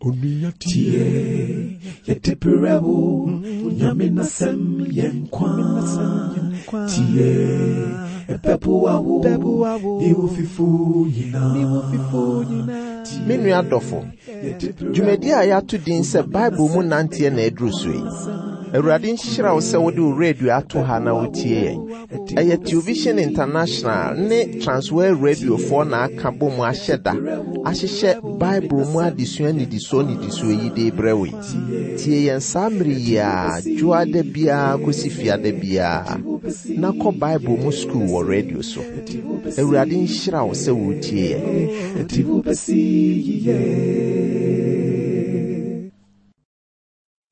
Tie, yɛde brɛ wo, Nyame n'asɛm yɛ nkwa. Tie, ɛbɛboa wo, ne wo fifo nyinaa. Me nua dɔfo, dwumadi a yɛato din sɛ Bible mu nanteɛ na aduru so yi. Awurade nhyira wo sɛ wode wo radio ato ha na wotie yɛn. Ɛyɛ Television International ne Transworld Radiofoɔ na aka bɔ mu ahyɛ da ahyehyɛ Bible mu adesua nnidisoɔ nnidisoɔ yi de rebrɛ wo yi. Tie yɛn saa mmere yi ara, dwoada biara kɔsi fiada biara, na kɔ Bible mu sukuu wɔ radio so. Awurade nhyira wo sɛ woretie yɛn.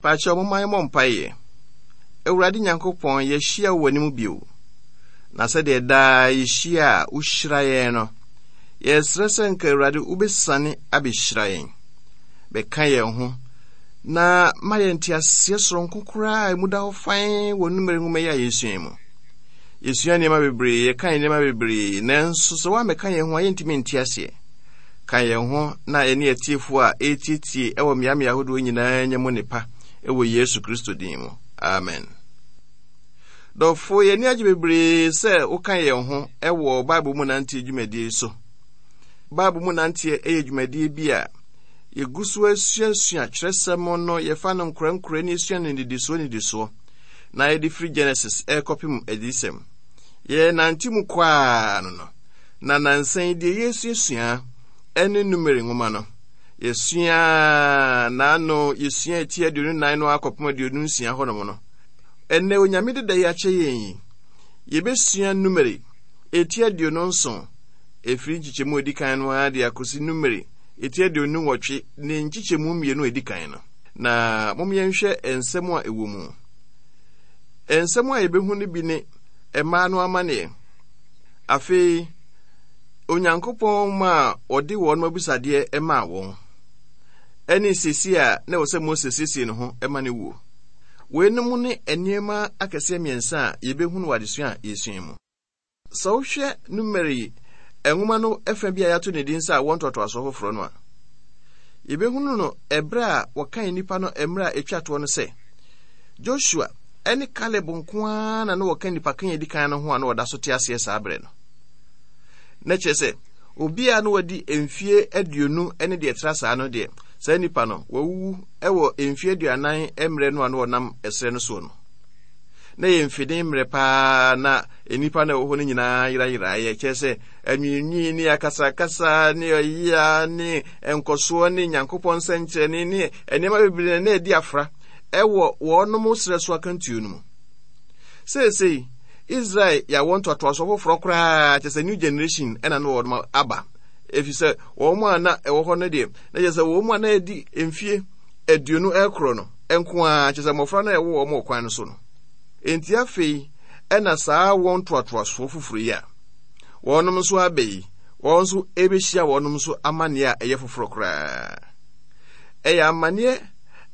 Pakyɛw momma yɛmmɔ mpaeɛ. Awurade Nyankopɔn, yɛahyia wɔ w'anim bio. Na sɛdeɛ daa yɛhyia a wohyira yɛn no, yɛsrɛ sɛ nka Awurade wobɛsiane abɛhyira yɛn. Bɛka yɛn ho na ma yɛn nteaseɛ soronko koraa a emu da hɔ fann wɔ Numeri nwoma yi a yɛsua yi mu. Yɛsua nneɛma bebree, yɛka nneɛma bebree, nanso sɛ woammɛka yɛn ho a yɛntumi nte aseɛ. Ka yɛn ho na yɛne atiefo a ɛretietie wɔ mmeammea ahodoɔ nyinaa nya mu nnepa wɔ Yesu Kristo din mu. Amen. Dɔfo, yɛn ani agye bebree sɛ woka yɛn ho wɔ Bible mu nanteɛ dwumadie yi so. Bible mu nanteɛ yɛ dwumadie bi a yɛgu so asuasua kyerɛsɛm no, yɛfa no nkorankorɛ ne yɛsua no nnidisoɔ nnidisoɔ, na yɛde firi Genesis ɛrekɔpem Adiyisɛm. Yɛnante mu kɔ ara no no. Na nnansa yi deɛ yɛresuasua ne Numeri nwoma no. Yɛsua n'ano, yɛsua eti 24 no akɔpem 26 hɔnom no. Ɛnnɛ Onyame deda yi akyɛ yɛn yi, yɛbɛsua Numeri eti 27, ɛfiri nkyekyɛmu edi kan no ara de akɔsi Numeri eti 28 ne nkyekyɛmu mmienu a edi kan no. Na mom yɛnhwɛ nsɛm a ɛwɔ mu. Nsɛm a yɛbɛhu no bi ne mmaa no amaneɛ. Afei, Onyankopɔn maa ɔde wɔn abisadeɛ maa wɔn, ɛne siesie a na ɛwɔ sɛ Mose siesie ne ho ma ne wuo. Weinom ne nneɛma akɛseɛ mmiɛnsa a yɛbɛhunu wɔ adesua a yɛsua mu. Sɛ wohwɛ Numeri nwoma no fa bi a yɛato ne din sɛ awoɔ ntoatoasoɔ foforɔ no a, yɛbɛhunu no ɛberɛ a wɔkan nnipa no mmerɛ a ɛtwa toɔ no sɛ Joshua ne Kaleb nko ara na na wɔka nnipakan a edi kan no ho a na wɔda so te aseɛ saa berɛ no. Na kyerɛ sɛ, obi a na wadi mfie 20 ne deɛ ɛtra saa no deɛ, saa nipa no, wawuwu wɔ mfie 40 mmerɛ no a na wɔnam ɛserɛ no soɔ no. Na yɛ mfeden mmerɛ paa na nnipa no ɛwɔ hɔ no nyinaa yerayeraeɛ, kyerɛ sɛ anwiinwii ne akasakasa ne ɔyea ne nkɔsoɔ ne Nyankopɔn nsɛnkyerɛnne ne nneɛma bebree na ɛdi afra wɔ wɔnom serɛ so akantuo no mu. Seesei, Israel yɛ awoɔ ntoatoasoɔ foforɔ koraa, kyerɛ sɛ new generation ɛna na wɔnom aba. Ɛfiri sɛ wɔn a na ɛwɔ hɔ no deɛ, na kyerɛ sɛ wɔn a na ɛdi mfie 20 ɛkorɔ no nko ara, kyerɛ sɛ mmɔfra no a ɛwɔ wɔn wɔ kwan no so no. Enti afei ɛna saa wɔn ntoatoasoɔ foforɔ yi a wɔnom nso aba yi, wɔn nso ɛbɛhyia wɔnom nso amanneɛ a ɛyɛ foforɔ koraa. Ɛyɛ amanneɛ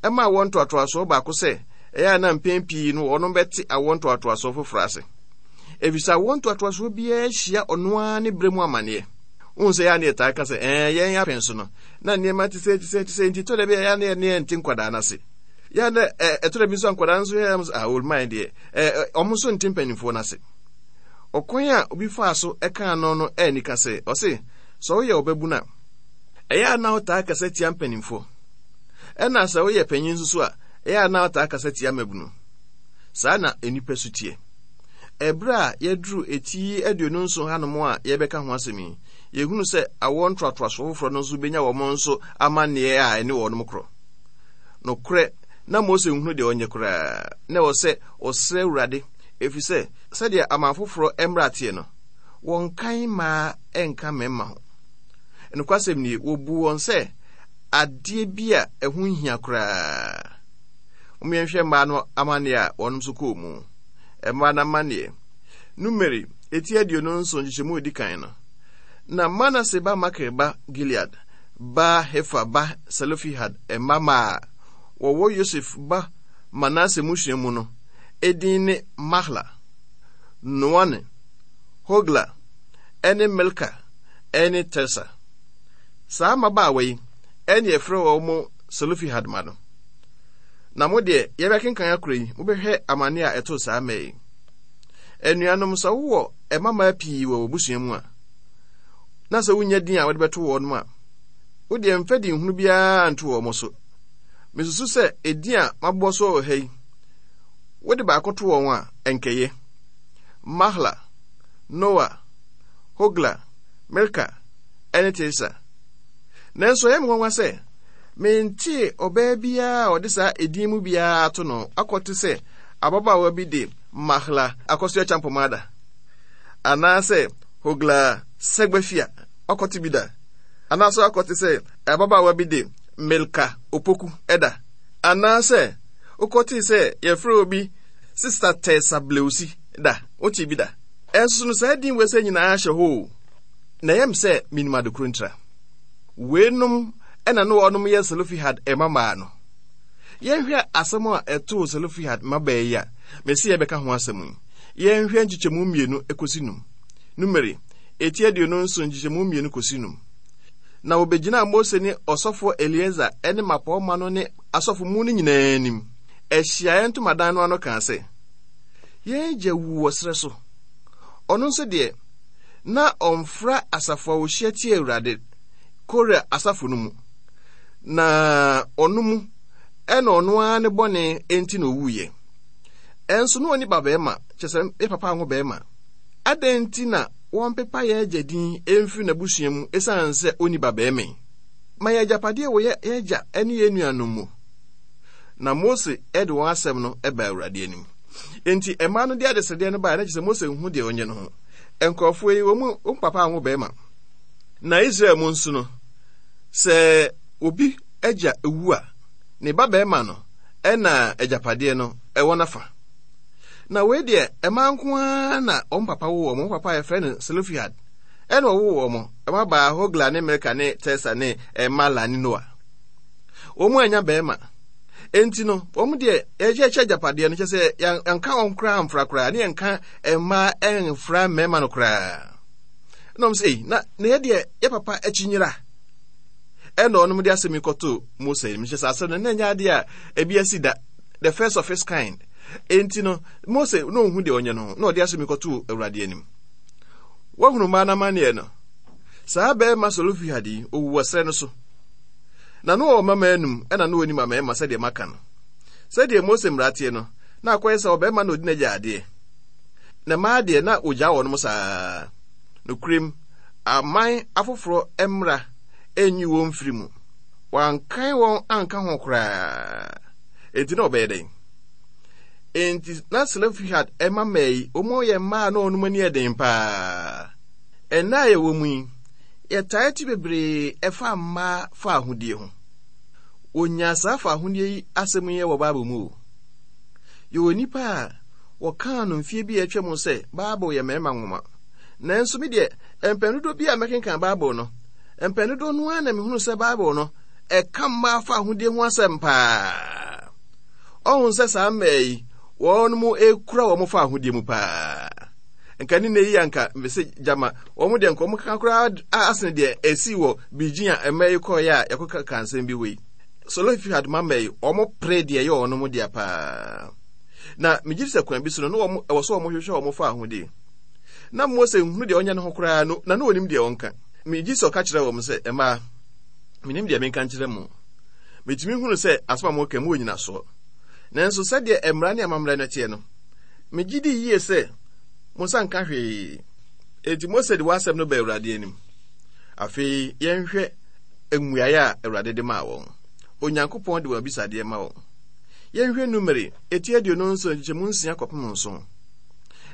ɛma awoɔ ntoatoasoɔ baako sɛ ɛyɛ a na mpɛn pii no wɔnom bɛte awoɔ ntoatoasoɔ foforɔ ase. Efisɛ awoɔ ntoatoasoɔ biara hyia ɔno ara ne berɛ mu amanneɛ. Wohu sɛ ɛyɛ a na yɛtaa ka sɛ, ɛɛ yɛn apɛn so no, na nneɛma te sɛ te sɛ te sɛ nti tɔ da bi a ɛyɛ a na yɛne yɛnte nkwadaa no ase. Yɛ a na ɛtɔ da bi nso a nkwadaa nso yɛ a ah, old man deɛ, ɛɛ wɔn nso nte mpanimfoɔ no ase. Ɔkwan a obi faa so ɛkaa no no ɛnika sɛ, ɔse, sɛ woyɛ ɔbabunu a, ɛyɛ a na wotaa kasa tia mpanimfoɔ. Ɛna sɛ woyɛ panyin nso so a, ɛyɛ a na wotaa kasa tia mmabunu. Saa na nnipa su teɛ. Ɛberɛ a yɛaduru eti 27 hanom a yɛrebɛka ho asɛm yi, yɛhunu sɛ awoɔ ntoatoasoɔ foforɔ no nso bɛnya wɔn nso amanneɛ a ɛne wɔnom korɔ. Nokorɛ, na Mose nhunu deɛ ɔnyɛ koraa. Na ɛwɔ sɛ ɔsrɛ Awurade, ɛfiri sɛ sɛdeɛ aman foforɔ mmara teɛ no, wɔnkan mmaa nka mmarima ho. Nokwasɛm nie, wɔbuu wɔn sɛ adeɛ bi a ɛho nhia koraa. Mom yɛnhwɛ mmaa no amanneɛ a wɔn nso kɔɔ mu. Mmaa no amanneɛ. Numeri, eti 27 nkyekyɛmu a ɛdi kan no. Na Manase ba Makir ba Gilead ba Hefer ba Selofehad mma mmaa a wɔwɔ Yosef ba Manase mmusua mu no edin ne Mahla, Noa ne, Hogla, ne Milka ne Tirsa. Saa mmabaawa yi ne yɛfrɛ wɔn Selofehad mma no. Na mo deɛ, yɛbɛkenkan akora yi, mobɛhwɛ amane a ɛtoo saa mmaa yi. Anuanom, sɛ wowɔ mmammaa pii wɔ w'abusua mu a, na sɛ wunnya din a wode bɛto wɔn a, wo deɛ mfa din hunu biara nto wɔn so. Mesusu sɛ edin a mabobɔ so wɔ ha yi, wode baako to wɔn a, ɛnkɛyɛ. Mahla, Noa, Hogla, Milka, ne Tirsa. Nanso ɛyɛ me nwanwa sɛ mentee ɔbaa biara a ɔde saa edin mu biara ato no akɔte sɛ ababaawa bi de Mahla Akosua Champomada anaasɛ Hogla Segbefia akɔte bi da anaasɛ akɔte sɛ ababaawa bi de Milka Opoku da anaasɛ wokɔtee sɛ yɛfrɛ obi Sista Tessa Bleusi da wotee bi da. Ɛnso no saa din wei sɛ nyinaa hyɛ hɔ o. Na ɛyɛ me sɛ menim ade koro ntira. Weinom na na wɔnom yɛ Selofehad mmammaa no. Yɛnhwɛ asɛm a ɛtoo Selofehad mmabaa yi a mese yɛbɛka ho asɛm yi. Yɛnhwɛ nkyekyɛmu mmienu kɔsi num. Numeri, eti 27 nkyekyɛmu mmienu kɔsi num. Na wɔbɛgyinaa Mose ne ɔsɔfoɔ Eleazar ne mmapɔmma no ne asɔfo mu no nyinaa anim, ahyiaeɛ ntomadan no ano kaa sɛ, Yɛn agya wuu wɔ serɛ so. Ɔno nso deɛ, na ɔmfra asafo a wɔhyia tia Awurade, Kora asafo no mu, na ɔno mu ɛna ɔno ara ne bɔne nti na owuiɛ. Ɛnso na ɔni babarima, kyɛ sɛ yɛ papa anwo barima. Adɛn nti na wɔmpepa yɛn agya din mfiri n'abusua mu esiane sɛ ɔnni babarima yi? Ma yɛn agyapadeɛ wɔ yɛn agya ne yɛn nuanom mu. Na Mose de wɔn asɛm no baa Awurade anim. Enti mmaa no de adesrɛdeɛ no baeɛ, na kyerɛ sɛ Mose nhu deɛ ɔnyɛ no ho. Nkurɔfoɔ yi, wɔn mu wɔn papa anwo barima. Na Israel mu nso no, sɛ obi agya wu a, ne ba barima no ɛna agyapadeɛ no ɛwɔ n'afa. Na wei deɛ, mmaa nko ara na wɔn papa wo wɔn. Wɔn papa yɛfrɛ no Selofehad. Ɛna ɔwoo wɔn. Mma baa Hogla ne Milka ne Tirsa ne Mala ne Noa. Wɔn annya barima. Enti no, wɔn deɛ yɛkyɛ agyapadeɛ no kyɛ sɛ yɛnka wɔn koraa mfra koraa ne yɛnka mmaa mfra mmarima no koraa. Ɛna wɔn sɛ, ei, na na yɛ deɛ yɛ papa akyi nyera. Ɛna wɔn de asɛm yi kɔtoo Mose anim. Kyɛ sɛ asɛm no na ɛnyɛ adeɛ a ebi asi da. The first of its kind. Enti no, Mose na ɔnhu deɛ ɔnyɛ no ho, na ɔde asɛm yi kɔtoo Awurade anim. Woahunu mmaa no amanneɛ no? Saa barima Selofehad yi, ɔwu wɔ serɛ no so. Na na ɔwɔ mmammaa anum, ɛna na ɔnni mmammarima sɛdeɛ maka no. Sɛdeɛ Mose mmara teɛ no, na akɔyɛ sɛ ɔbarima na ɔdi n'agya adeɛ. Na mmaa deɛ, na wɔgyaa wɔnom saa. Nokorɛm, aman afoforɔ mmara nyi wɔn mfiri mu. Wɔankan wɔn anka ho koraa. Enti na wɔbɛyɛ dɛn? Enti na Selofehad mma mmaa yi, wɔyɛ mmaa a na wɔn ani yɛ den paa. Ɛnnɛ a yɛwɔ mu yi, yɛtaa te bebree ɛfa mmaa fa ahodie ho. Wɔnyaa saa fa ahodie yi asɛm yi wɔ Bible mu o. Yɛwɔ nnipa a wɔkaa no mfeɛ bi a atwa mu sɛ Bible yɛ mmarima nwoma. Nanso me deɛ, mpɛn dodoɔ bi a mɛkenkan Bible no, mpɛn dodoɔ no ara na mehunu sɛ Bible no, ɛka mmaa fa ahodie ho asɛm paa. Ɔhu sɛ saa mmaa yi, wɔn mu ekura wɔn fa ahodie mu paa. Nka ne nne yi anka mese gyama wɔn deɛ nka wɔn kaka koraa asene deɛ esi wɔ Beijing a mmaa yi kɔɔeɛ a yɛkɔka ka nsɛm bi hɔ yi. Selofehad mma mmaa yi, wɔn pere deɛ ɛyɛ wɔn mo dea paa. Na megye di sɛ kwan bi so no, na wɔn ɛwɔ sɛ wɔn hwehwɛ wɔn fa ahodie. Na Mose nhunu deɛ ɔnyɛ ne ho koraa no, na na onim deɛ ɔnka. Megye sɛ ɔka kyerɛ wɔn sɛ, mmaa, menim deɛ menka nkyerɛ mo. Metumi hunu sɛ asɛm a moreka mu wɔ nyinasoɔ. Nanso sɛdeɛ mmara ne amammerɛ no teɛ no, megye di yie sɛ mo nsa nka hwee. Enti Mose de w'asɛm no baa Awurade anim. Afei yɛnhwɛ mmuaeɛ a Awurade de maa wɔn. Onyankopɔn de wɔn abisadeɛ ma wɔn. Yɛnhwɛ Numeri eti 27 nkyekyɛmu nsia kɔpem nson.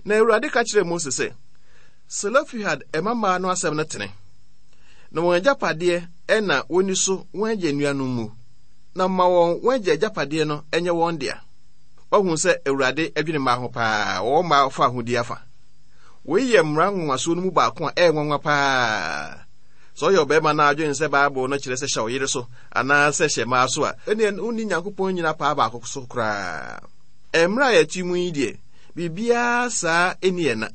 Na Awurade ka kyerɛɛ Mose sɛ, Selofehad mmammaa no asɛm no tene, na wɔn agyapadeɛ na wɔnni so wɔn agya nuanom mu, na ma wɔn wɔn agya agyapadeɛ no nyɛ wɔn dea. Wahu sɛ Awurade dwene mmaa ho paa, wɔwɔ mmaa fa ahodie afa. Wei yɛ mmara nwonwasoɔ no mu baako a ɛyɛ nwanwa paa. Sɛ ɔyɛ ɔbarima na adwene sɛ Bible no kyerɛ sɛ hyɛ wo yere so anaasɛ hyɛ mmaa so a, ɛnneɛ wonni Nyankopɔn nnyina paa baako so koraa. Mmerɛ a yɛte mu yi deɛ, biribiara saa nni yɛn na.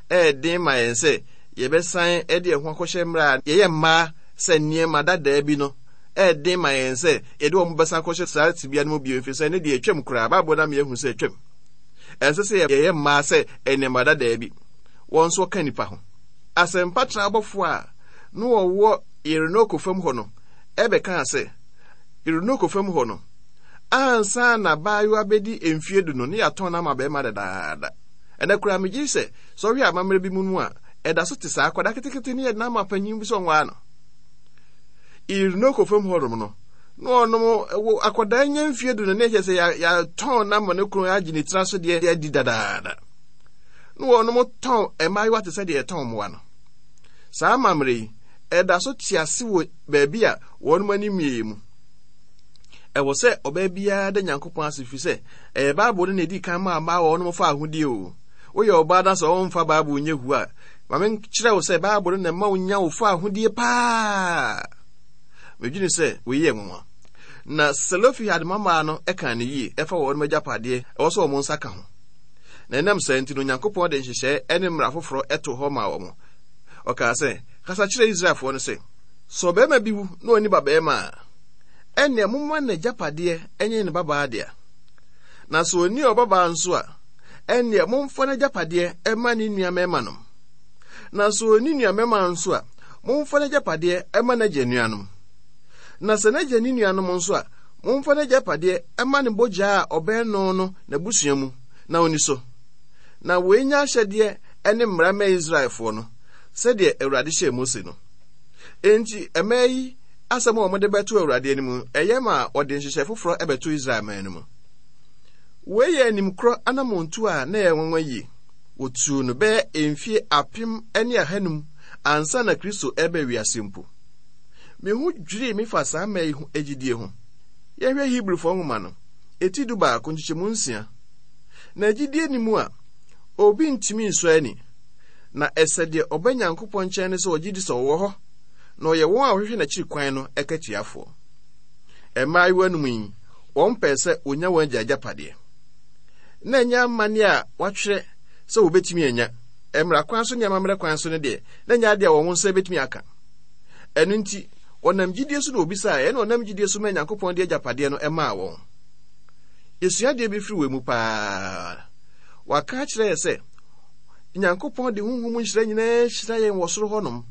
Ɛyɛ den ma yɛn sɛ yɛbɛsan de yɛn ho akɔhyɛ mmerɛ a yɛyɛ mmaa sɛ nneɛma dadaa bi no Ɛyɛ den ma yɛn sɛ yɛde wɔn bɛsan akɔhyɛ saa tebea no mu bio, efisɛ ɛno deɛ atwam koraa. Bible no ama yɛahu sɛ atwam. Ɛnsɛ sɛ yɛyɛ mmaa sɛ nneɛma dadaa bi. Wɔn nso wɔka nnipa ho. Asɛmpatrɛ abɔfo a na wɔwɔ Irinoko fam hɔ no bɛkaa sɛ, Irinoko fam hɔ no, ansa na abaayewa bedi mfeɛ du no, na yɛatɔn no ama barima dadaada. Ɛnnɛ koraa, megye di sɛ, sɛ wohwɛ amammerɛ bi mu a, ɛda so te saa. Akwadaa ketekete no yɛde no ama panyin bi sɛ ɔnwaa no. Irinoko fam hɔnom no, na ɔnom wɔ akwadaa nya mfeɛ du no, na ɛkyɛ sɛ yɛatɔn no ama ne kunu agye ne tiri so deɛ adi dadaada. Na wɔnom tɔn mmaayewa te sɛ deɛ yɛtɔn mmoa no. Saa amammerɛ yi, ɛda so te ase wɔ baabi a wɔnom ani mmieɛ mu. Ɛwɔ sɛ ɔbaa biara da Nyankopɔn ase firi sɛ ɛyɛ Bible no na ɛdi kan maa mmaa wɔnom fa ahodie o. Woyɛ ɔbaa na sɛ wɔmfa Bible nyɛ hu a, ma menkyerɛ wo sɛ Bible no na ɛma wonya wo fa ahodie paa. Medwene sɛ wei yɛ nwanwa. Na Selofehad mmammaa no kaa no yie ɛfa wɔnom agyapadeɛ ɛwɔ sɛ wɔn nsa ka ho. Na ɛnam saa nti no, Onyankopɔn de nhyehyɛe ne mmara foforɔ too hɔ maa wɔn. Ɔkaa sɛ, Kasa kyerɛ Israelfoɔ no sɛ, 'Sɛ ɔbarima bi wu na ɔnni babarima a, ɛnneɛ momma n'agyapadeɛ nyɛ ne babaa dea. Na sɛ ɔnni ɔbabaa nso a, ɛnneɛ momfa n'agyapadeɛ mma ne nua mmarimanom. Na sɛ ɔnni nua mmarima nso a, momfa n'agyapadeɛ mma n'agya nuanom. Na sɛ n'agya nni nuanom nso a, momfa n'agyapadeɛ mma ne bogya a ɔbɛn no no n'abusua mu na ɔnni so. Na wei nyɛ ahyɛdeɛ ne mmara mma Israelfoɔ no, sɛdeɛ Awurade hyɛɛ Mose no. Enti mmaa yi asɛm a wɔde bɛto Awurade anim no, ɛyɛ ma wɔde nhyehyɛe foforɔ bɛto Israel man no mu. Wei yɛ animkorɔ anammɔntuo a na ɛyɛ nwanwa yie. Wɔtuu no bɛyɛ mfie 1500 ansa na Kristo reba wiase mpo. Me ho dwirii me fa saa mmaa yi ho gyidie ho. Yɛnhwɛ Hebrifoɔ nwoma no, eti 11, nkyekyɛmu 6. Na gyidie nni mu a, obi ntumi nsɔ ani. Na ɛsɛ deɛ ɔba Nyankopɔn nkyɛn no sɛ ɔgye di sɛ ɔwɔ hɔ, na ɔyɛ wɔn a wɔhwehwɛ n'akyiri kwan no akatuafoɔ. Mmaayewa no mu yi, wɔn pɛɛ sɛ wɔnya wɔn agya agyapadeɛ. Na ɛnyɛ amanneɛ a wɔatwerɛ sɛ wɔbɛtumi anya, mmara kwan so ne amammerɛ kwan so no deɛ, na ɛnyɛ adeɛ a wɔn nsa bɛtumi aka. Ɛno nti, wɔnam gyidie so na wɔbisaeɛ, ɛna wɔnam gyidie so maa Nyankopɔn de agyapadeɛ no maa wɔn. Yɛsua adeɛ bi firi wei mu paa. Wɔaka akyerɛ yɛ sɛ, Nyankopɔn de honhom mu nhyira nyinaa hyira yɛn wɔ soro hɔnom.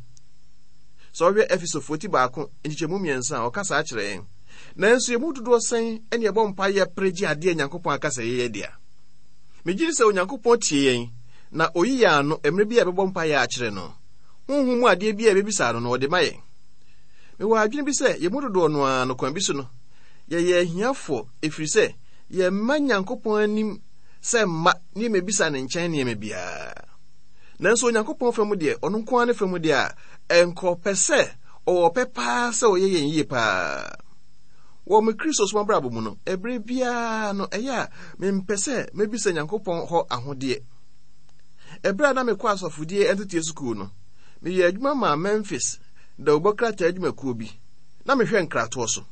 Sɛ ɔhwɛ Efesofoɔ ti baako nkyekyɛmu mmiɛnsa a, ɔka saa kyerɛ yɛn. Nanso yɛn mu dodoɔ sɛn ne ɛbɔ mpa yɛ pere gye adeɛ Nyankopɔn aka sɛ yɛyɛ dea? Megye di sɛ Onyankopɔn tie yɛn na oyi yɛn ano mmerɛ bi a yɛbɛbɔ mpa yɛ akyerɛ no. Honhom mu adeɛ bi a yɛbɛbisa no no, ɔde ma yɛn. Mewɔ adwene bi sɛ yɛn mu dodoɔ no ara no kwan bi so no, yɛyɛ ahiafoɔ ɛfiri sɛ yɛmma Nyankopɔn anim sɛ mma ne yɛmmɛbisa ne nkyɛn nneɛma biara. Nanso Onyankopɔn fa mu deɛ, ɔno nko ara ne fa mu deɛ a, ɛnka ɔpɛ sɛ, ɔwɔ ɔpɛ paa sɛ ɔyɛ yɛn yie paa. Wɔ me Kristosom abrabɔ mu no, ɛberɛ biara no, ɛyɛ a mempɛ sɛ mɛbisa Nyankopɔn hɔ ahodeɛ. Ɛberɛ a na mekɔ asɔfodie nteteɛ sukuu no, meyɛɛ adwuma maa Memphis dawubɔ krataa adwumakuo bi, na mehwɛ nkratoɔ so.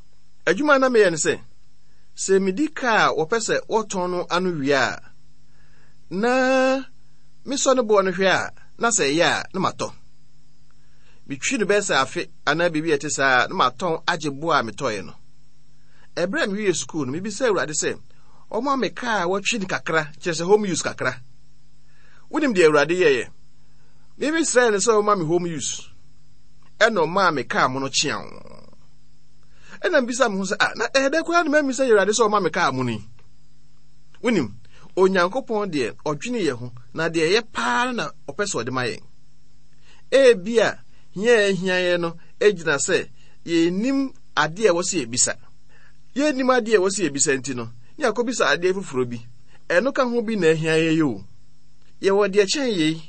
Adwuma a na meyɛ ne sɛ, sɛ medi kaa a wɔpɛ sɛ wɔtɔn no ano wie a, na mesɔ ne boɔ no hwɛ a, na sɛ ɛyɛ a, na matɔ. Metwi no bɛyɛ sɛ afe anaa biribi a ɛte saa a, na matɔn agye boɔ a metɔeɛ no. Ɛberɛ a mewiee sukuu no, mebisaa Awurade sɛ ɔmma me kaa a wɔatwi no kakra, kyerɛ sɛ home use kakra. Wonim deɛ Awurade yɛeɛ? Memesrɛɛ no sɛ ɔmma me home use, ɛna ɔmaa me kaa mono kyeaw. Ɛna mbisa me ho sɛ, ah, na ɛyɛ dɛ koraa na mammisa Awurade sɛ ɔma me kaa mono yi. Wonim, Onyankopɔn deɛ ɔdwene yɛn ho, na deɛ ɛyɛ paa no na ɔpɛ sɛ ɔde ma yɛn. Ebia hia a ehia yɛn no gyina sɛ yɛnnim adeɛ a ɛwɔ sɛ yɛbisa. Yɛnnim adeɛ a ɛwɔ sɛ yɛbisa nti no, ne yɛakɔbisa adeɛ foforɔ bi. Ɛno ka ho bi na ahia yɛn yi o. Yɛwɔ deɛ kyɛn yei.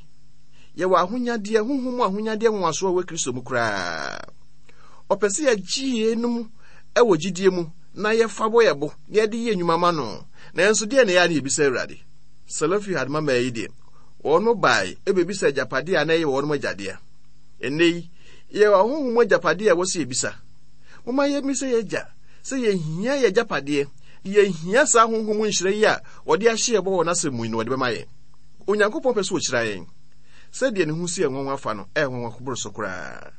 Yɛwɔ ahonyadeɛ, honhom mu ahonyadeɛ nwanwasoɔ a ɛwɔ Kristo mu koraa. Ɔpɛ sɛ yɛgye yeinom wɔ gyidie mu na yɛfa bɔ yɛn bo na yɛde yɛ nnwuma ma no. Nanso deɛ na ɛyɛ a na yɛbisa Awurade? Selofehad mmammaa yi deɛ, wɔn bae bɛbisa agyapadeɛ a na ɛyɛ wɔn agya dea. Ɛnnɛ yi, yɛwɔ ahonhom mu agyapadeɛ a ɛwɔ sɛ yɛbisa. Momma yɛmmisa yɛn agya sɛ yɛhia yɛn agyapadeɛ, yɛhia saa honhom mu nhyira yi a ɔde ahyɛ yɛn bɔ wɔ n'asɛm mu yi na ɔde bɛma yɛn. Onyankopɔn pɛ sɛ ɔhyira yɛn. Sɛdeɛ ne ho si yɛ nwanwa fa no, ɛyɛ nwanwa boro so koraa.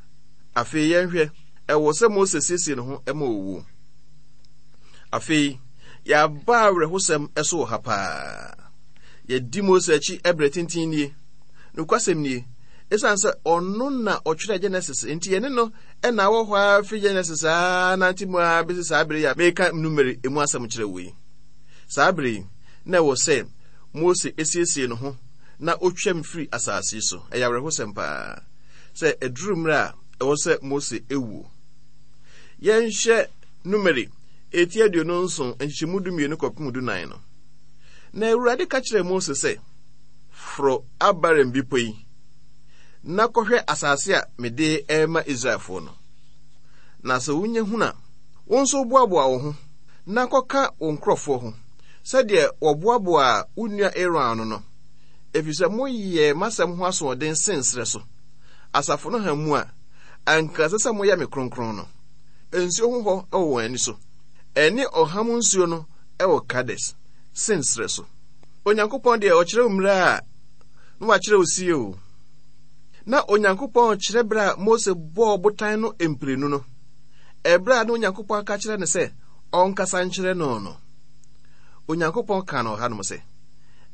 Afei yɛnhwɛ. Ɛwɔ sɛ Mose siesie ne ho ma owuo. Afei, yɛaba awerɛhosɛm so wɔ ha paa. Yɛadi Mose akyi berɛ tenten nie. Nokwasɛm nie, ɛsiane sɛ ɔno na ɔtwerɛ Genesis nti yɛne no na awɔ hɔ ara firi Genesis ara nante mu ara bɛsi saa bere yi a meka Numeri emu asɛm kyerɛ wo yi. Saa bere yi, na ɛwɔ sɛ Mose siesie ne ho na otwam firi asase so. Ɛyɛ awerɛhosɛm paa sɛ ɛduru mmerɛ a ɛwɔ sɛ Mose wuo. Yɛnhwɛ Numeri eti 27 nkyekyɛmu 12 kɔpem 14 no. Na Awurade ka kyerɛɛ Mose sɛ, Foro Abarim bepɔ yi, na kɔhwɛ asase a mede rema Israelfoɔ no. Na sɛ wonya hunu a, wo nso boaboa wo ho na kɔka wo nkurɔfoɔ ho, sɛdeɛ wɔboaboaa wo nua Aaron ano no, ɛfiri sɛ moyɛɛ m'asɛm ho asoɔden Sin serɛ so, asafo no ha mu a anka ɛsɛ sɛ moyɛ me kronkron no. Nsuo ho hɔ wɔ wɔn ani so, ɛne ɔham nsuo no wɔ Kades, Sin serɛ so. Onyankopɔn deɛ ɔkyerɛ wo mmerɛ a na wakyerɛ wo sie o. Na Onyankopɔn kyerɛ berɛ a Mose bɔɔ botan no mprenu no, ɛberɛ a na Onyankopɔn aka kyerɛ no sɛ ɔnkasa nkyerɛ no no. Onyankopɔn kaa no ɔhanom sɛ,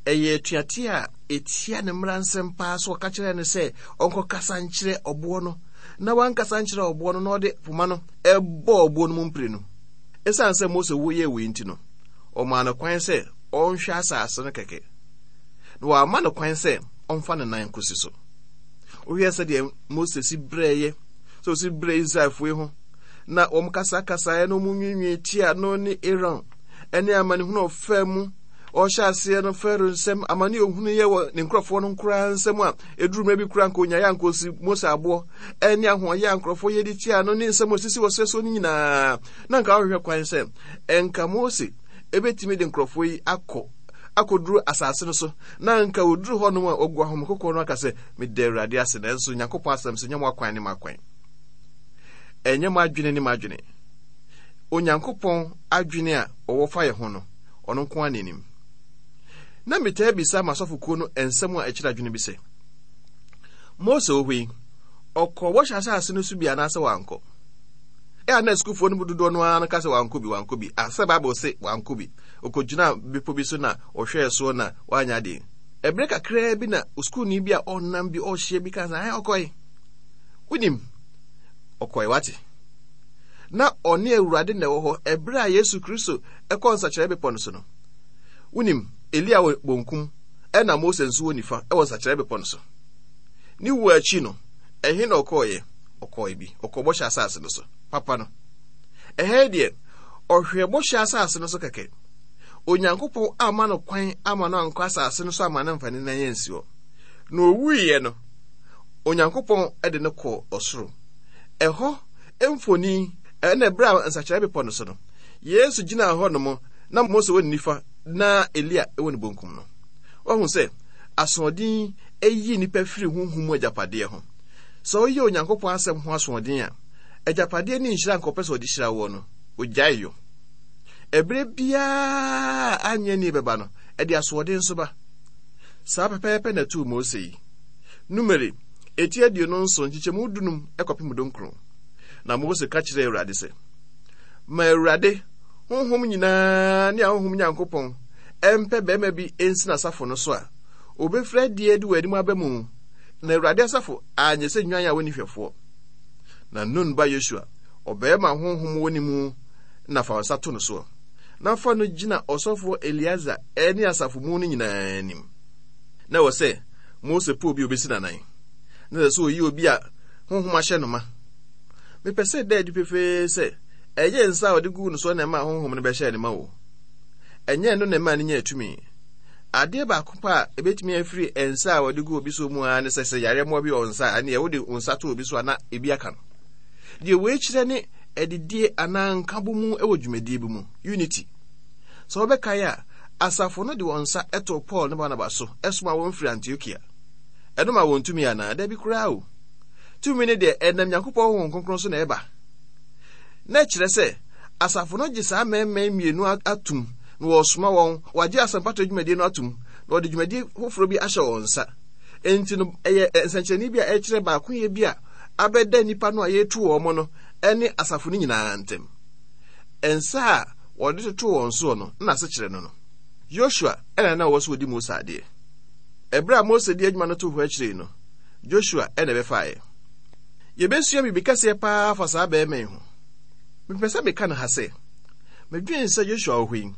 ɛyɛ atuateɛ a ɛtia ne mmara nsɛm paa so ɔka kyerɛɛ no sɛ ɔnkɔkasa nkyerɛ ɔboɔ no, na wankasa nkyerɛ ɔboɔ no na ɔde poma no ɛbɔɔ ɔboɔ no mu mprenu. Ɛsiane sɛ Mose yɛɛ wei nti no, ɔmaa no kwan sɛ ɔnhwɛ asase no kɛkɛ, na wamma no kwan sɛ ɔmfa ne nan nkosi so. Wohwɛ sɛdeɛ Mose si brɛeɛ, sɛ ɔsi brɛ Israelfoɔ yi ho, na wɔn kasakasaeɛ na wɔn nwiinwii tia no ne Aaron, ɛne amanehunu a ɔfaa mu, ɔhyɛ aseɛ no Farao nsam, amane a ɔhunuiɛ wɔ ne nkurɔfoɔ no nkoraa nsam a ɛduru mmerɛ bi koraa nka ɔnyaeɛ anka ɔsi Mose aboɔ, ɛne ahoɔyɛ a nkurɔfoɔ yɛ de tia no ne nsɛm a ɔsisi wɔ serɛ soɔ no nyinaa, na nka ɔhwehwɛ kwan sɛ ɛnka Mose ɛbɛtumi de nkurɔfoɔ yi akɔ akɔduru asase no so, na anka wɔduru hɔnom a wɔagu ahomekokɔ no aka sɛ, Meda Awurade ase, nanso Nyankopɔn asɛm sɛ, nyɛ mo akwan ne m'akwan. Ɛnyɛ mo adwene ne m'adwene. Onyankopɔn adwene a ɔwɔ fa yɛ ho no, ɔno nko ara na anim. Na metaa bisa m'asɔfokuo no nsɛm a ɛkyerɛ adwene bi sɛ, Mose wɔ hɔ yi, ɔkɔɔ bɔhyɛ asase no so bi anaasɛ wankɔ? Ɛ a na asukuufoɔ no mu dodoɔ no ara no ka sɛ wankɔ bi, wankɔ bi. A sɛ Bible se wankɔ bi. Ɔkɔgyinaa bepɔ bi so na ɔhwɛɛ soɔ na wanyɛ adeɛ. Ɛberɛ kakraa bi na sukuuni bi a ɔnam bi ɔrehyia bi kaa sɛ, ae ɔkɔe. Wonim, ɔkɔe wate. Na ɔne Awurade na ɛwɔ hɔ ɛberɛ a Yesu Kristo ɛkɔ nsakyerɛ bepɔ no so no. Wonim, Elia wɔ bonkum ɛna Mose nso wɔ nifa ɛwɔ nsakyerɛ bepɔ no so. Ne wuo akyi no, ɛhe na ɔkɔeɛ? Ɔkɔe bi. Ɔkɔɔ bɔhyɛ asase no so. Papa no. Ɛha yi deɛ, ɔhwɛɛ bɔhyɛ asase no so kɛkɛ. Onyankopɔn amma no kwan ama no ankɔ asase no so ama no mfa ne nan ansi hɔ. Na owuiɛ no, Onyankopɔn de no kɔɔ ɔsoro. Ɛhɔ mfoni ɛna ɛberɛ a nsakyeraɛ bepɔ no so no, Yesu gyinaa hɔ nom na Mose wɔ ne nifa na Elia wɔ ne bonkum no. Wahu sɛ asoɔden yi nnipa firi honhom mu agyapadeɛ ho. Sɛ woyɛ Onyankopɔn asɛm ho asoɔden a, agyapadeɛ ne nhyira nka ɔpɛ sɛ ɔde hyira woɔ no, ogyae yɔ. Ɛberɛ biara a anyɛ ni bɛba no, ɛde asoɔden nso ba. Saa pɛpɛɛpɛ na ɛtoo Mose yi. Numeri, eti 27, nkyekyɛmu 15 kɔpem 19. Na Mose ka kyerɛɛ Awurade sɛ, Ma Awurade, honhom nyinaa ne ahonhom Nyankopɔn, mpɛ barima bi nsi n'asafo no so a obefiri adi adi wɔ anim aba mu, na Awurade asafo anyɛ sɛ nnwan a wɔnni hwɛfoɔ. Na Nun ba Yosua, ɔbarima a honhom wɔ ne mu na fa wo nsa to no soɔ, na fa no gyina ɔsɔfoɔ Eleazar ne asafo mu no nyinaa anim. Na ɛwɔ sɛ Mose pɛ obi a obesi n'anan, na ɛsɛ sɛ oyi obi a honhom ahyɛ no ma. Mepɛ sɛ ɛda adi pefee sɛ ɛnyɛ nsa a ɔde guu no so na ɛmaa honhom no bɛhyɛɛ ne ma o. Ɛnyɛ ɛno na ɛmaa no nyaa tumi. Adeɛ baako pɛ a ebetumi afiri nsa a wɔde gu obi so mu ara ne sɛ sɛ yareɛ mmoa bi wɔ nsa a, ɛneɛ wode wo nsa to obi so a na ebi aka no. Deɛ wei kyerɛ ne adidie anaa nkabomu wɔ dwumadie bi mu, unity. Sɛ wobɛkae a, asafo no de wɔn nsa too Paul ne Barnabas so somaa wɔn firi Antiokia. Ɛno maa wɔn tumi anaa? Dabi koraa o. Tumi no deɛ, ɛnam Nyankopɔn Honhom Kronkron so na ɛba. Na ɛkyerɛ sɛ asafo no gye saa mmarima yi mmienu atum na wɔresoma wɔn, wɔagye asɛmpatrɛ dwumadie no atum na wɔde dwumadie foforɔ bi ahyɛ wɔn nsa. Enti no, ɛyɛ nsɛnkyerɛnne bi a ɛkyerɛ baakoyɛ bi a abɛda nnipa no a yɛretu wɔn no ne asafo no nyinaa ntam. Nsa a wɔde totoo wɔn soɔ no, na asekyerɛ no no. Yosua na na ɔwɔ sɛ ɔdi Mose adeɛ. Ɛberɛ a Mose de adwuma no too hɔ akyire yi no, Joshua na ɛbɛfaeɛ. Yɛbɛsua biribi kɛseɛ paa afa saa barima yi ho. Mepɛ sɛ meka no ha sɛ, medwene sɛ Joshua wɔ hɔ yi,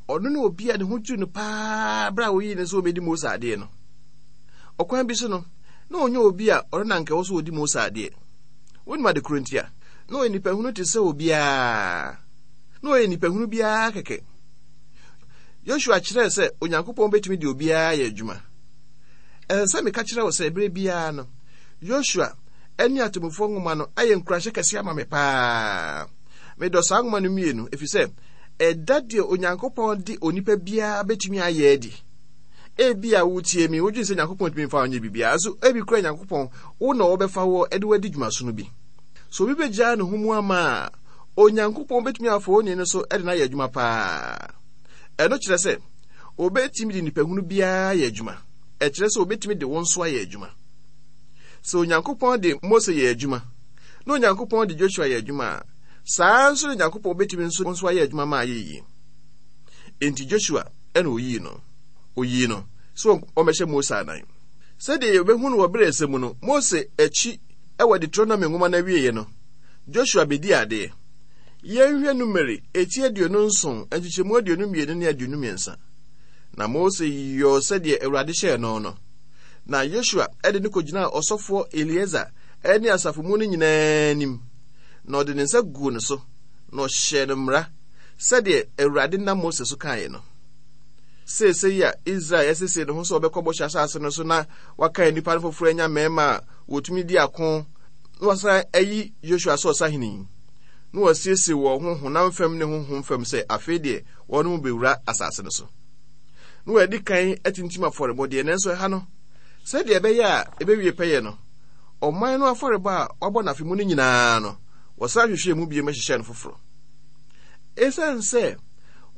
ɔno ne obi a ne ho dwiri no paa berɛ a wɔyii no sɛ ɔbɛdi Mose adeɛ no. Ɔkwan bi so no, na ɔnyɛ obi a ɔno na anka ɛwɔ sɛ ɔdi Mose adeɛ. Wonim ade koro ntia? Na ɔyɛ nipahunu te sɛ obiara. Na ɔyɛ nipahunu biara kɛkɛ. Yosua kyerɛɛ sɛ Onyankopɔn betumi de obiara ayɛ adwuma. Ɛsɛ sɛ meka kyerɛ wo sɛ bere biara no, Yosua ne Atemmufoɔ nwoma no ayɛ nkuranhyɛ kɛse ama me paa. Medɔ saa nwoma no mmienu efisɛ ɛda deɛ Onyankopɔn de onipa biara betumi ayɛ adi. Ebia wotie me, wodwene sɛ Nyankopɔn ntumi mfa wo nyɛ biribiara, nso ebi koraa Nyankopɔn wo na ɔbɛfa wo de wo adi dwumasono bi. So obi begyaa ne ho mu ama a, Onyankopɔn betumi afa onii no so de no ayɛ adwuma paa. Ɛno kyerɛ sɛ obetumi de nipahunu biara ayɛ adwuma. Ɛkyerɛ sɛ obetumi de wo nso ayɛ adwuma. Sɛ Onyankopɔn de Mose yɛ adwuma, na Onyankopɔn de Joshua yɛ adwuma a, saa ara nso na Onyankopɔn betumi nso nso ayɛ adwuma ma ayɛ yie. Enti Joshua na oyii no. Oyii no sɛ ɔmmɛhyɛ Mose anan. Sɛdeɛ yɛbɛhu no wɔ berɛ a ɛsɛ mu no, Mose akyi wɔ Deuteronomy nwoma no awieeɛ no, Joshua bɛdii adeɛ. Yɛnhwɛ Numeri eti 27 nkyekyɛmu 22 ne 23. Na Mose yɔɔ sɛdeɛ Awurade hyɛɛ no no. Na Yosua de no kɔgyinaa ɔsɔfoɔ Eleasa ne asafo mu no nyinaa anim, na ɔde ne nsa guu ne so, na ɔhyɛɛ no mmara sɛdeɛ Awurade nam Mose so kaeɛ no. Seesei a Israel asiesie ne ho sɛ ɔbɛkɔ Bɔhyɛ Asase no so na wakan nnipa no foforɔ anya mmarima a wɔtumi di ako na wasan ayi Yosua sɛ ɔsahene yi, na wɔasiesie wɔn ho honam fam ne honhom fam sɛ afei deɛ wɔn mu bɛwura asase no so. Na wɔadi kan atintim afɔrebɔdeɛ, nanso ɛha no, sɛdeɛ ɛbɛyɛ a ɛbɛwie pɛyɛ no, ɔman no afɔrebɔ a wɔabɔ no afe mu no nyinaa no, wɔsan hwehwɛɛ mu bio hyehyɛɛ no foforɔ. Esiane sɛ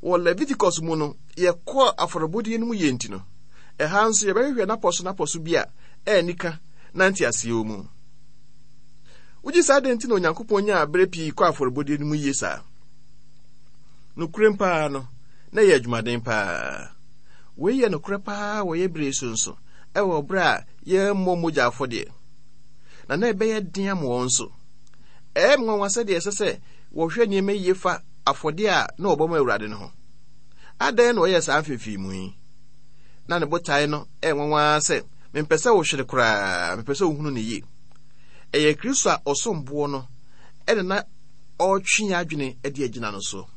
wɔ Leviticus mu no yɛkɔɔ afɔrebɔdeɛ no mu yie nti no, ɛha nso yɛbɛhwehwɛ n'apɔso n'apɔso bi a ɛnni na nteaseɛ wɔ mu. Wogye saa dɛn nti na Onyankopɔn nyaa berɛ pii kɔ afɔrebɔdeɛ no mu yie saa? Nokorɛm paa no, na ɛyɛ adwumaden paa. Wei yɛ nokorɛ paa wɔ yɛ berɛ yi so nso, ɛwɔ berɛ a yɛmmɔ mogya afɔdeɛ. Na na ɛbɛyɛ den ama wɔn nso. Ɛyɛ me nwanwa sɛdeɛ ɛsɛ sɛ wɔhwɛ nneɛma yie fa afɔdeɛ a na wɔbɔ ma Awurade no ho. Adɛn na ɔyɛɛ saa mfeefeemu yi? Na ne botae no yɛ nwanwa ara sɛ mempɛ sɛ wohwere koraa, mepɛ sɛ wohunu no yie. Ɛyɛ Kristo a ɔsom boɔ no ɛna na ɔretwe yɛn adwene de agyina no so.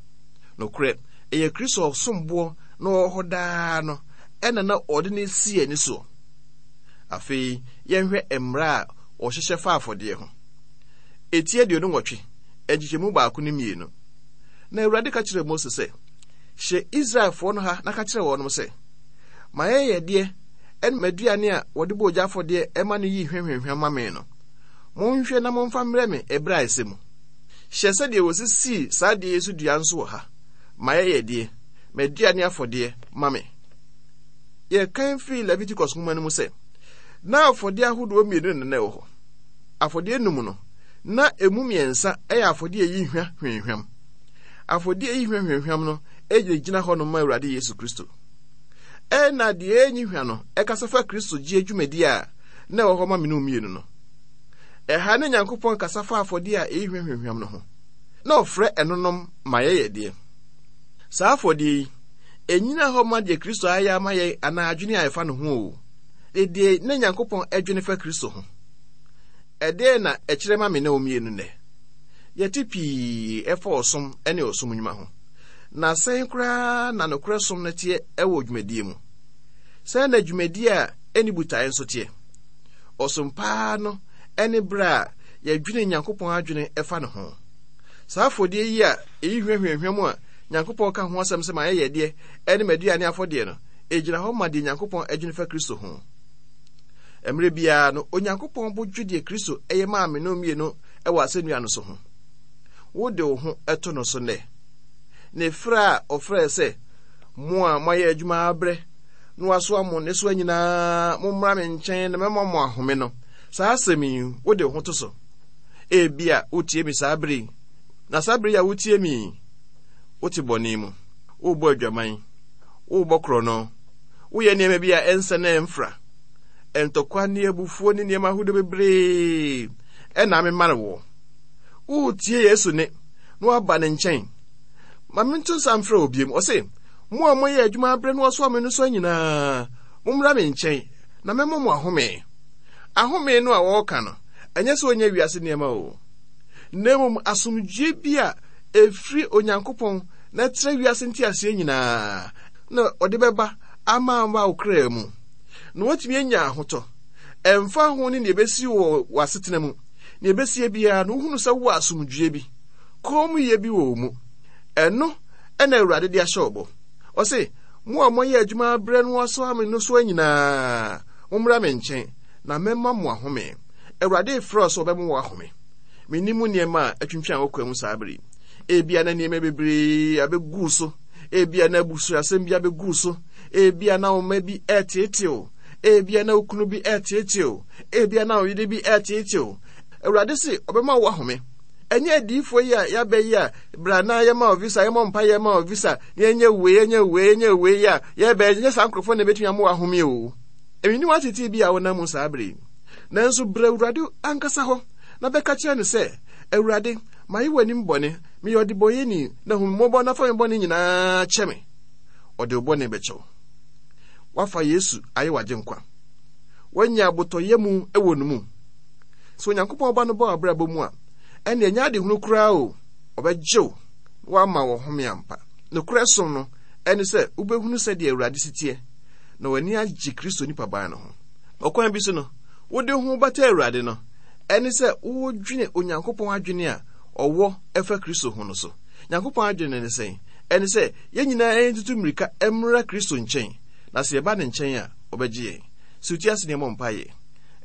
Nokorɛ, ɛyɛ Kristo a ɔsom boɔ na ɔwɔ hɔ daa no ɛna na ɔde no si yɛn ani soɔ. Afei yɛnhwɛ mmara a wɔhyehyɛ fa afɔdeɛ ho. Eti 28, nkyekyɛmu baako ne mmienu. Na Awurade ka kyerɛɛ Mose sɛ, Hyɛ Israelfoɔ no ha na ka kyerɛ wɔnom sɛ, M'ayɛyɛdeɛ ne m'aduane a wɔde bɔ ogya afɔdeɛ ma no yi hwahwahwa ma me no, monhwɛ na momfa mmrɛ me ɛberɛ a ɛsɛ mu. Hyɛ sɛdeɛ wɔsisii saa adeɛ yi so dua nso wɔ ha, m'ayɛyɛdeɛ, m'aduane afɔdeɛ ma me. Yɛkan firi Leviticus nwoma no mu sɛ, na afɔdeɛ ahodoɔ mmienu na na ɛwɔ hɔ. Afɔdeɛ num no, na emu mmiɛnsa yɛ afɔdeɛ a ɛyi hwa hwamhwam. Afɔdeɛ a ɛyi hwa hwamhwam no gyinagyina hɔ nom ma Awurade Yesu Kristo. Ɛna deɛ ɛnyi hwa no ɛkasa fa Kristo gyeɛ dwumadie a na ɛwɔ hɔ ma mene mmienu no. Ɛha ne Nyankopɔn kasa fa afɔdeɛ a ɛyi hwa hwamhwam no ho, na ɔfrɛ ɛnonom ma yɛyɛdeɛ. Saa afɔdeɛ yi, ɛnyina hɔ ma deɛ Kristo ayɛ ama yɛn anaa adwene a ɛfa ne ho o, deɛ na Nyankopɔn adwene fa Kristo ho. Ɛdeɛn na ɛkyerɛ ma me ne wo mmienu nnɛ? Yɛte pii ɛfa ɔsom ne ɔsom nnwuma ho. Na sɛn koraa na nokorɛ som no teɛ wɔ dwumadie mu? Sɛn na dwumadie a ɛnni botaeɛ nso teɛ? Ɔsom paa no ne berɛ a yɛdwene Nyankopɔn adwene ɛfa ne ho. Saa afɔdeɛ yi a ɛyi hwa hwamhwam a Nyankopɔn ka ho asɛm sɛ m'ayɛyɛdeɛ ne m'aduane afɔdeɛ no, ɛgyina hɔ ma deɛ Nyankopɔn adwene fa Kristo ho. Mmerɛ biara no, Onyankopɔn bo dwo deɛ Kristo yɛ maa me no mmienu wɔ asɛnnua no so ho. Wode wo ho to no so nnɛ? Ne frɛ a ɔfrɛɛ sɛ, Mo a moayɛ adwuma abrɛ na wɔasoa mo nnesoa nyinaa, mommra me nkyɛn na mɛma mo ahome no, saa asɛm yi, wode wo ho to so? Ebia wotie me saa bere yi, na saa bere yi a wotie me yi, wote bɔne mu, worebɔ adwaman, worebɔ korɔno, woyɛ nneɛma bi a ɛnsɛ na ɛmfra, ntɔkwa ne abufuo ne nneɛma ahodoɔ bebree ɛna amemare woɔ. Woretie Yesu ne na woaba ne nkyɛn. Ma mento nsa mfrɛ wo biom. Ɔse, mo a moyɛ adwuma abrɛ na wɔasoa me nnosoa nyinaa, mommra me nkyɛn, na mɛma mo ahome. Ahome no a wɔreka no, ɛnyɛ sɛ ɔnyɛ wiase nneɛma o, na mmom asomdwoe bi a ɛfiri Onyankopɔn na ɛtrɛ wiase nteaseɛ nyinaa na ɔde bɛba ama aba wo kra mu, na woatumi anya ahotɔ. Ɛmfa ho ne nea ɛbɛsi wɔ w'asetena mu, nea ɛbɛsie biara no, wohunu sɛ wowɔ asomdwoe bi, kommyɛ bi wɔ wo mu. Ɛno na Awurade de ahyɛ wo bɔ. Ɔse, Mo a moayɛ adwuma abrɛ no asoa me nnosoa nyinaa, mommra me nkyɛn, na mɛma mo ahome. Awurade refrɛ wo sɛ ɔbɛma wo ahome. Mennim wo nneɛma a atwintwan wo kwan mu saa bere yi. Ebia na nneɛma bebree abegu wo so. Ebia na abusuasɛm bi abegu wo so. Ebia na wo mma bi reteetee wo. Ebia na wo kunu bi reteetee wo. Ebia na wo yere bi reteetee wo. Awurade se ɔbɛma wo ahome. Ɛnyɛ adiyifoɔ yi a yɛabɛ yi a bra na yɛma wo visa, yɛmmɔ mpa yɛma wo visa, na yɛnyɛ wei, yɛnyɛ wei, yɛnyɛ wei a yɛbɛ, ɛnyɛ saa nkurɔfoɔ na ɛbɛtumi ama wo ahome o. Mennim atetee bi a wonam mu saa bere yi. Nanso bra Awurade ankasa hɔ na bɛka kyerɛ no sɛ, Awurade, mayɛ w'anim bɔne, meyɛ ɔdebɔneyɛni, na hu me mmɔbɔ na fa me bɔne nyinaa kyɛ me. Ɔde wo bɔne bɛkyɛ wo. Woafa Yesu ayɛ w'agyenkwa. Woanya abotɔyam wɔ ne mu. Sɛ Onyankopɔn Ba no ba w'abrabɔ mu a, ɛnde ɛnyɛ adehunu koraa o, ɔbɛgye wo na wama wo ɔhome ampa. Nokorɛ som no ne sɛ wobɛhunu sɛdeɛ Awurade si teɛ na w'ani agye Kristo nipaban no ho. Ɔkwan bi so no, wode wo ho bata Awurade no, ɛne sɛ wodwene Onyankopɔn adwene a ɔwɔ ɛfa Kristo ho no so. Nyankopɔn adwene ne sɛn? Ɛne sɛ yɛn nyinaa ntutu mmirika mmra Kristo nkyɛn, na sɛ yɛba ne nkyɛn a, ɔbɛgye yɛn. Sɛ wote ase na yɛmmɔ mpaeɛ.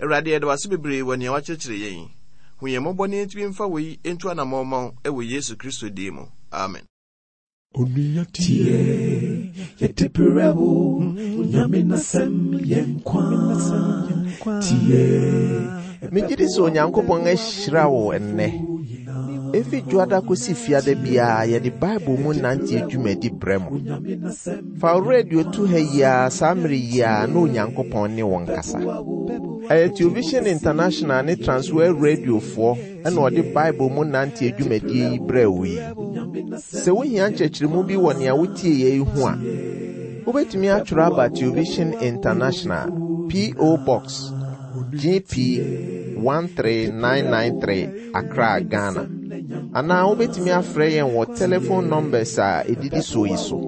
Awurade, yɛda wo ase bebree wɔ nea woakyerɛkyerɛ yɛn yi. Hu yɛn mmɔbɔ na yɛntumi mfa wei ntu anammɔn mma wo wɔ Yesu Kristo din mu. Amen. Onua tie, yɛde brɛ wo, Nyame n'asɛm yɛ nkwa. Tie. Megye di sɛ Onyankopɔn ahyira wo nnɛ. Efi Dwoada kosi Fiada biara yɛde Bible mu nante dwumadi brɛ mo. Fa wo radio to ha yi ara saa mmere yi ara na Onyankopɔn ne wo nkasa. Ɛyɛ Television International ne Transworld Radiofoɔ na ɔde Bible mu nante dwumadie yi brɛɛ wo yi. Sɛ wohia nkyerɛkyerɛmu bi wɔ nea wotieeɛ yi ho a, wobɛtumi atwerɛ aba Television International, P.O. Box, GP 13993, Accra, Ghana. Anaa wobɛtumi afrɛ yɛn wɔ telephone numbers a ɛdidi soɔ yi so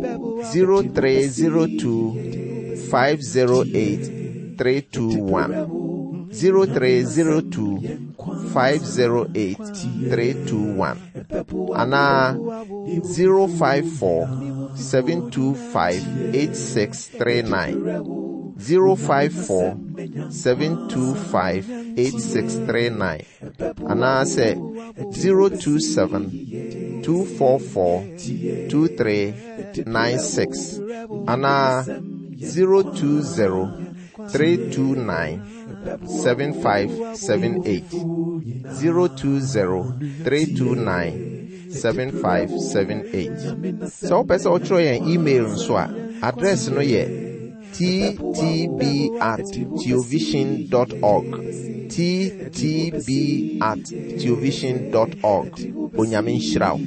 0302 508 321 0302 508 321 anaa 054 725 8639 054 725 8639 anaasɛ 027 244 2396 anaa 020 329 7578 020 329 7578. Sɛ wopɛ sɛ wotwerɛ yɛn email nso a, address no yɛ ttb at theovision dot org. ttb at theovision dot org. Onyame nhyira wo.